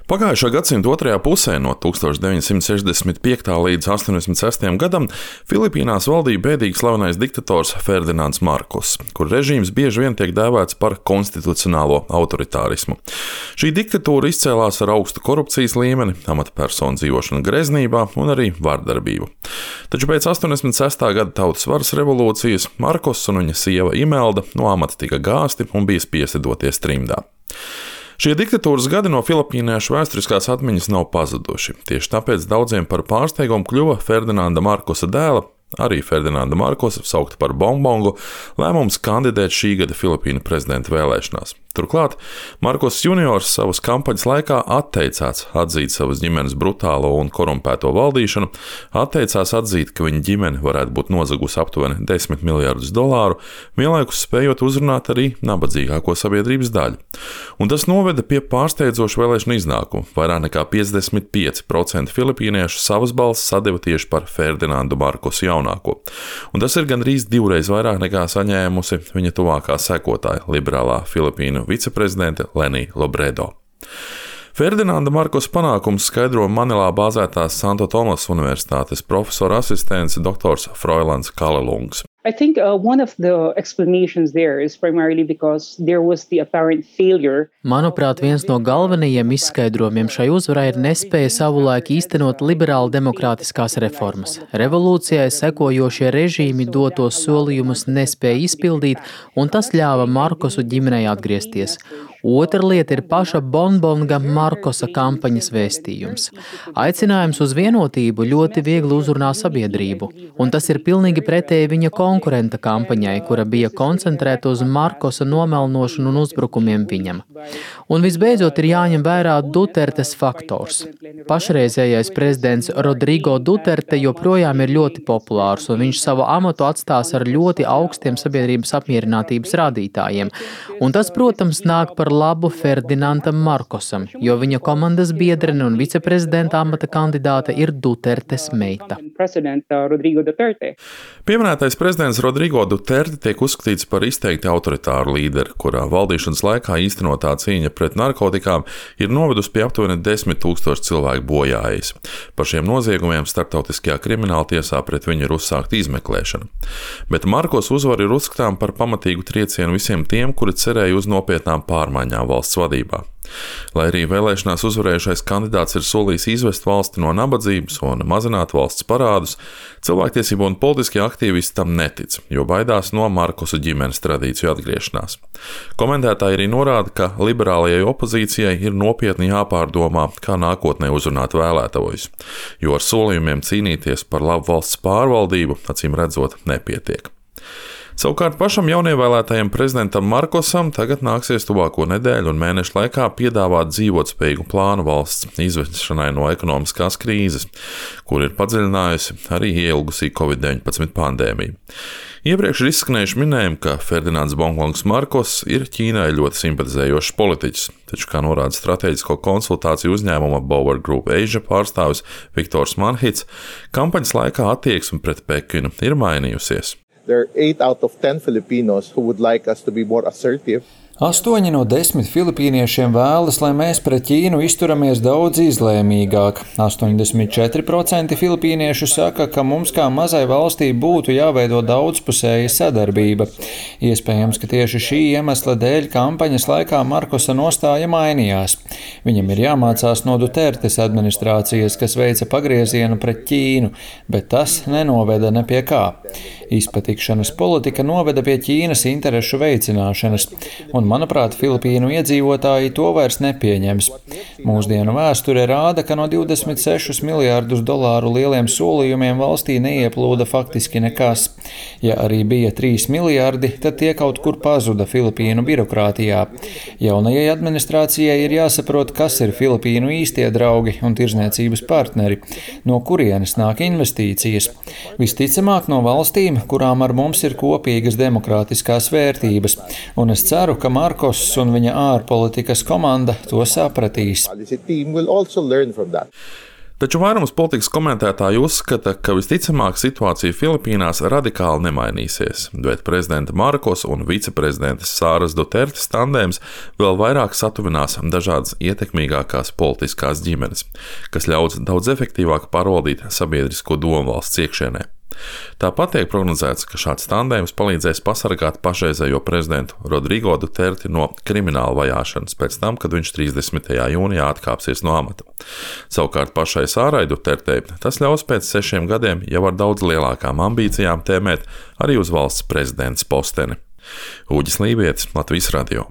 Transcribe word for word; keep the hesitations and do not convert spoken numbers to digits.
Pagājušā gadsimta otrajā pusē, no tūkstoš deviņsimt sešdesmit piekta līdz astoņdesmit sestajam gadam, Filipīnās valdīja bēdīgi slavenais diktators Ferdinands Markos, kur režīms bieži vien tiek dēvēts par konstitucionālo autoritārismu. Šī diktatūra izcēlās ar augstu korupcijas līmeni, amatpersonu dzīvošanu greznībā un arī vardarbību. Taču pēc astoņdesmit sestā gada tautas varas revolūcijas Markos un viņa sieva Imelda no amata tika gāzti un bija spiesti doties trimdā. Šie diktatūras gadi no filipīniešu vēsturiskās atmiņas nav pazuduši. Tieši tāpēc daudziem par pārsteigumu kļuva Ferdinanda Markosa dēla, arī Ferdinanda Markosa, saukta par Bongbongu, lēmums kandidēt šī gada Filipīnu prezidenta vēlēšanās. Turklāt Markos juniors savas kampaņas laikā atteicās atzīt savas ģimenes brutālo un korumpēto valdīšanu, atteicās atzīt, ka viņa ģimene varētu būt nozagusi aptuveni desmit miljardus dolāru, vienlaikus spējot uzrunāt arī nabadzīgāko sabiedrības daļu. Un tas noveda pie pārsteidzoša vēlēšana iznākuma. Vairāk nekā piecdesmit pieci procenti filipīniešu savas balsis sadeva tieši par Ferdinandu Markosu jaunāko. Un tas ir gandrīz divreiz vairāk nekā saņēmusi viņa tuvākā sekotāja, liberālā Filipīnu viceprezidente Lenija Robredo. Ferdinanda Markosa panākums skaidro Manilā bāzētās Santo Tomas Universitātes profesora asistents doktors Froilans Kalelungs. I think uh, one of the explanations there is primarily because there was the apparent failure. Manuprāt, viens no galvenajiem izskaidrojumiem šai uzvarai ir nespēja savulaik īstenot liberāli demokrātiskās reformas. Revolūcijai sekojošie režīmi dotos solījumus nespēja izpildīt, un tas ļāva Markosu ģimenei atgriezties. Otra lieta ir paša Bongbonga Markosa kampaņas vēstījums. Aicinājums uz vienotību ļoti viegli uzrunā sabiedrību, un tas ir pilnīgi pretēji viņa konkurenta kampaņai, kura bija koncentrēta uz Markosa nomelnošanu un uzbrukumiem viņam. Un visbeidzot ir jāņem vērā Dutertes faktors. Pašreizējais prezidents Rodrigo Duterte joprojām ir ļoti populārs, un viņš savu amatu atstās ar ļoti augstiem sabiedrības apmierinātības rādītājiem. Un tas, protams, nāk par labu Ferdinandam Markosam, jo viņa komandas biedrene un viceprezidenta amata kandidāte ir Dutertes meita. Pieminētais prezidents Rodrigo Duterte tiek uzskatīts par izteikti autoritāru līderi, kurā valdīšanas laikā īstenotā cīņa pret narkotikām ir novedusi pie aptuveni desmit tūkstoši cilvēku bojājas. Par šiem noziegumiem starptautiskajā krimināltiesā pret viņu ir uzsākta izmeklēšana. Bet Markos uzvara ir uzskatām par pamatīgu triecienu visiem tiem, kuri cerēja uz nopietnām pārmaiņām valsts vadībā. Lai arī vēlēšanās uzvarējušais kandidāts ir solījis izvest valsti no nabadzības un mazināt valsts parādus, cilvēktiesību un politiskie aktīvisti tam netic, jo baidās no Markosa ģimenes tradīciju atgriešanās. Komentētāji arī norāda, ka liberālajai opozīcijai ir nopietni jāpārdomā, kā nākotnē uzrunāt vēlētājus, jo ar solījumiem cīnīties par labu valsts pārvaldību, acīm redzot, nepietiek. Savukārt pašam jaunievēlētajam prezidentam Markosam tagad nāksies tuvāko nedēļu un mēnešu laikā piedāvāt dzīvotspējīgu plānu valsts izvešanai no ekonomiskās krīzes, kur ir padziļinājusi arī ielgusī covid deviņpadsmit pandēmija. Iepriekš ir izskanējuši minējumi, ka Ferdinands Bongbongs Markos ir Ķīnai ļoti simpatizējošs politiķis, taču, kā norāda strateģisko konsultāciju uzņēmuma Bauer Group Asia pārstāvis Viktors Manhits, kampaņas laikā attieksme pret Pekinu ir mainījusies. There are eight out of ten Filipinos who would like us to be more assertive. Astoņi no desmit filipīniešiem vēlas, lai mēs pret Ķīnu izturamies daudz izlēmīgāk. astoņdesmit četri procenti filipīniešu saka, ka mums kā mazai valstī būtu jāveido daudzpusēja sadarbība. Iespējams, ka tieši šī iemesla dēļ kampaņas laikā Markosa nostāja mainījās. Viņam ir jāmācās no Dutertes administrācijas, kas veica pagriezienu pret Ķīnu, bet tas nenoveda ne pie kā. Izpatikšanas politika noveda pie Ķīnas interešu veicināšanas, un manuprāt, Filipīnu iedzīvotāji to vairs nepieņems. Mūsdienu vēsture rāda, ka no divdesmit sešus miljārdus dolāru lieliem solījumiem valstī neieplūda faktiski nekas. Ja arī bija trīs miljārdi, tad tie kaut kur pazuda Filipīnu birokrātijā. Jaunajai administrācijai ir jāsaprot, kas ir Filipīnu īstie draugi un tirzniecības partneri, no kurienes nāk investīcijas. Visticamāk no valstīm, kurām ar mums ir kopīgas demokrātiskās vērtības, un es ceru, ka Markos un viņa ārpolitikas komanda to sapratīs. Taču vairums politikas komentētāju uzskata, ka visticamāk situācija Filipīnās radikāli nemainīsies, bet prezidenta Markos un viceprezidentes Sāras Dutertes tandēms vēl vairāk satuvinās dažādas ietekmīgākās politiskās ģimenes, kas ļaus daudz efektīvāk pārvaldīt sabiedrisko domu valsts iekšienē. Tāpat tiek prognozēts, ka šāds tandēms palīdzēs pasargāt pašreizējo prezidentu Rodrigo Duterti no krimināla vajāšanas pēc tam, kad viņš trīsdesmitajā jūnijā atkāpsies no amata. Savukārt pašai Sārai Dutertei tas ļaus pēc sešiem gadiem jau ar daudz lielākām ambīcijām tēmēt arī uz valsts prezidents posteni. Uģis Lībietis, Latvijas radio.